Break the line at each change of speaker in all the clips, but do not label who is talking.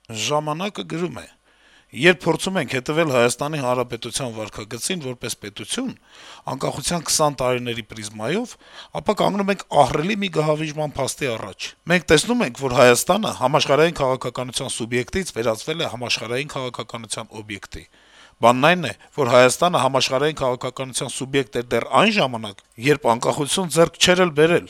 Ժամանակը գրում է. - «Երբ փորձում ենք հետեւել Հայաստանի Հանրապետության վարքագծին որպես պետություն, անկախության 20 տարիների պրիզմայով, ապա կանգնում ենք ահռելի մի գահավիժման փաստի առաջ: Մենք տեսնում ենք, որ Հայաստանը համաշխարհային քաղաքականության սուբյեկտից վերածվել է համաշխարհային քաղաքականության օբյեկտի: Բանն այն է, որ Հայաստանը համաշխարհային քաղաքականության սուբյեկտ էր դեռ այն ժամանակ, երբ անկախություն ձեռք չէր էլ բերել: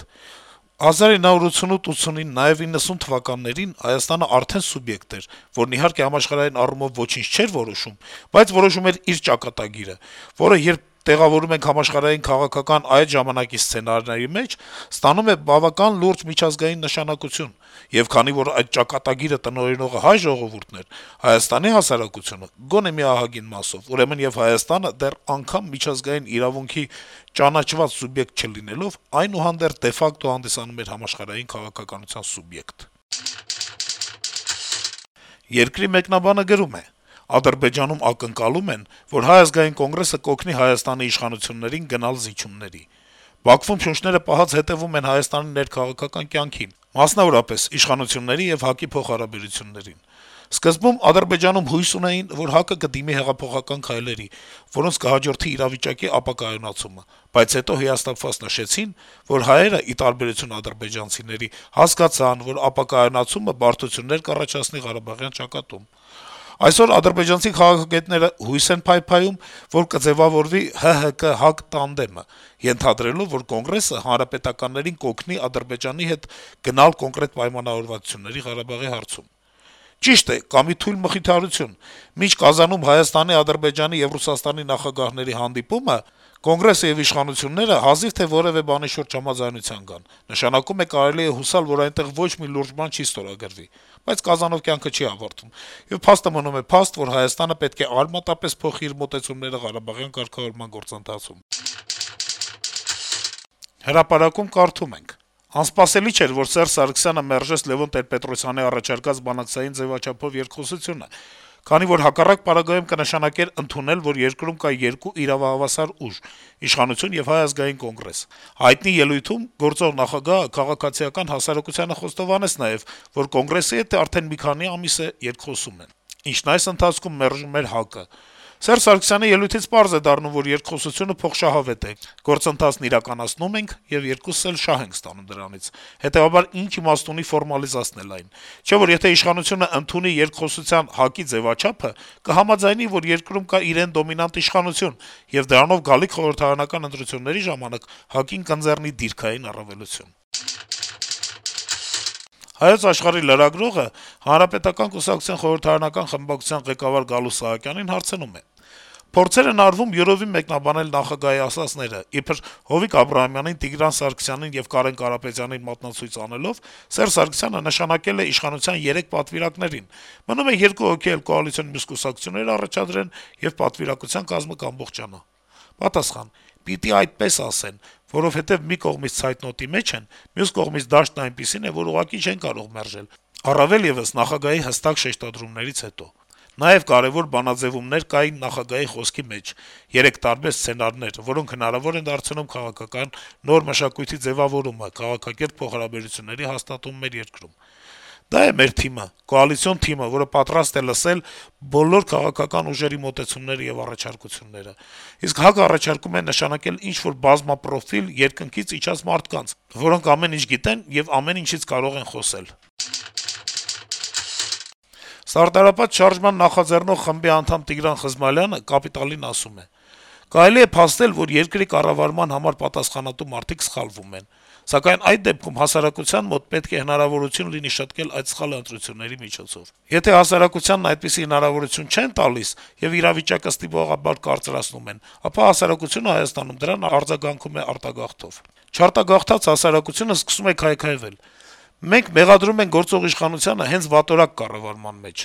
1988-89, նաեւ 90 թվականներին Հայաստանը արդեն սուբյեկտ էր, որն իհարկե համաշխարհային առումով ոչինչ չէր որոշում, բայց որոշում էր իր ճակատագիրը, որը, երբ տեղավորում ենք համաշխարհային քաղաքական այդ ժամանակի սցենարների մեջ, ստանում է բավական լուրջ միջազգային նշանակություն: Եվ քանի որ այդ ճակատագիրը տնօրինողը հայ ժողովուրդն էր, Հայաստանի հասարակությունը գոնե մի ահագին մասով, ուրեմն եւ Հայաստանը դեռ անգամ միջազգային իրավունքի ճանաչված սուբյեկտ չլինելով, այնուհանդերձ դե ֆակտո հանդիսանում էր համաշխարհային քաղաքականության սուբյեկտ»: «Երկիր» թերթի մեկնաբանը գրում է. - «Ադրբեջանում ակնկալում են, որ Հայ ազգային կոնգրեսը կօգնի Հայաստանի իշխանություններին գնալ զիջումների: Բաքվում շունչները պահած հետեւում են Հայաստանի ներքաղաքական կյանքին, մասնավորապես իշխանությունների եւ ՀԱԿ-ի փոխհարաբերություններին: Սկզբում Ադրբեջանում հույս ունեին, որ ՀԱԿ-ը կդիմի հեղափոխական քայլերի, որոնց կհաջորդի իրավիճակի ապակայունացումը, բայց հետո հիասթափված նշեցին, որ հայերը, ի տարբերություն ադրբեջանցիների, հասկացան, որ ապակայունացումը բարդություններ կառաջացնի Ղարաբաղյան ճակատում: Այսօր ադրբեջանցի քաղաքագետները հույս են փայփայում, որ կձեւավորվի ՀՀԿ-ՀԱԿ տանդեմը, ենթադրելով, որ Կոնգրեսը հանրապետականներին կօգնի Ադրբեջանի հետ գնալ կոնկրետ պայմանավորվածությունների Ղարաբաղի հարցում: Ճիշտ է, կա մի թույլ մխիթարություն. մինչ Կազանում Հայաստանի, Ադրբեջանի եւ Ռուսաստանի նախագահների հանդիպումը, Կոնգրեսը եւ իշխանությունները հազիվ թե որեւէ բանի շուրջ համաձայնության գան: Նշանակում է կարելի է հուսալ, որ այնտեղ ոչ մի լուրջ բան չի ստորագրվի: Բայց Կազանով կյանքը չի ավարտվում, եւ փաստը մնում է փաստ, որ Հայաստանը պետք է արմատապես փոխի իր մոտեցումները ղարաբաղյան կարգավորման գործընթացում»: «Հրապարակ»-ում կարդում ենք. - «Անսպասելի չէր, որ Սերժ Սարգսյանը մերժեց Լեւոն Տեր-Պետրոսյանի առաջարկած բանակցային ձեւաչափով երկխոսությունը, քանի որ հակառակ պարագայում կնշանակեր ընդունել, որ երկրում կա երկու իրավահավասար ուժ՝ իշխանություն եւ Հայ ազգային կոնգրես: Հայտնի ելույթում գործող նախագահը քաղաքացիական հասարակությանը խոստովանեց նաեւ, որ Կոնգրեսի հետ արդեն մի քանի ամիս է երկխոսում են, ինչն այս ընթացքում մերժում էր ՀԱԿ-ը: Սերժ Սարգսյանի ելույթից պարզ է դառնում, որ երկխոսությունը փոխշահավետ է, գործընթացն իրականացնում ենք եւ երկուսս էլ շահ ենք ստանում դրանից: Հետեւաբար ինչ իմաստ ունի ֆորմալիզացնել այն: Չէ՞ որ եթե իշխանությունը ընդունի երկխոսության ՀԱԿ-ի ձեւաչափը, կհամաձայնի, որ երկրում կա իրեն դոմինանտ իշխանություն, եւ դրանով գալիք խորհրդարանական ընտրությունների ժամանակ ՀԱԿ-ին կընձեռնի դիրքային առավելություն»: «Հայոց Աշխարհ»-ի լրագրողը Հանրապետական կուսակցության խորհրդարանական խմբակցության ղեկավար Գալուստ Սահակյանին հարցնում է. - «Փորձեր են արվում յուրովի մեկնաբանել նախագահի ասածները, իբր Հովիկ Աբրահամյանին, Տիգրան Սարգսյանին եւ Կարեն Կարապետյանին մատնացույց անելով, Սերժ Սարգսյանը նշանակել է իշխանության 3 պատվիրակներին: Մնում է 2 հոգի էլ կոալիցիոն մյուս կուսակցություններ առաջադրեն, եւ պատվիրակության կազմը կամբողջանա»: Պատասխան. - «Պիտի այդպես ասեն, որովհետեւ մի կողմից ցայտնոտի մեջ են, մյուս կողմից դաշտն այնպիսին է, որ ուղղակի չեն կարող մերժել, առավել եւս նախագահի հստակ շեշտադրումներից հետո: Նաեւ կարեւոր բանաձեւումներ կային նախագահի խոսքի մեջ, 3 տարբեր սցենարներ, որոնք հնարավոր են դարձնում քաղաքական նոր մշակույթի ձեւավորումը, քաղաքակիրթ փոխհարաբերությունների հաստատում մեր երկրում: Դա է մեր թիմը, կոալիցիոն թիմը, որը պատրաստ է լսել բոլոր քաղաքական ուժերի մոտեցումները եւ առաջարկությունները: Իսկ ՀԱԿ-ը առաջարկում է նշանակել ինչ-որ բազմապրոֆիլ, երկնքից իջած մարդկանց, որոնք ամեն ինչ գիտեն եւ ամեն ինչից կարող են խոսել»: Սարդարապատ շարժման նախաձեռնող խմբի անդամ Տիգրան Խզմալյանը «Կապիտալ»-ին ասում է. - «Կարելի է փաստել, որ երկրի կառավարման համար պատասխանատու մարդիկ սխալվում են: Սակայն այդ դեպքում հասարակության մոտ պետք է հնարավորություն լինի շտկել այդ սխալը ընտրությունների միջոցով: Եթե հասարակությանն այդպիսի հնարավորություն չեն տալիս եւ իրավիճակը ստիպողաբար կարծրացնում են, ապա հասարակությունը Հայաստանում դրան արձագանքում է արտագաղթով: Չարտագաղթած հասարակությունը սկսում է քայքայվել: Մենք մեղադրում ենք գործող իշխանությանը հենց վատորակ կառավարման մեջ: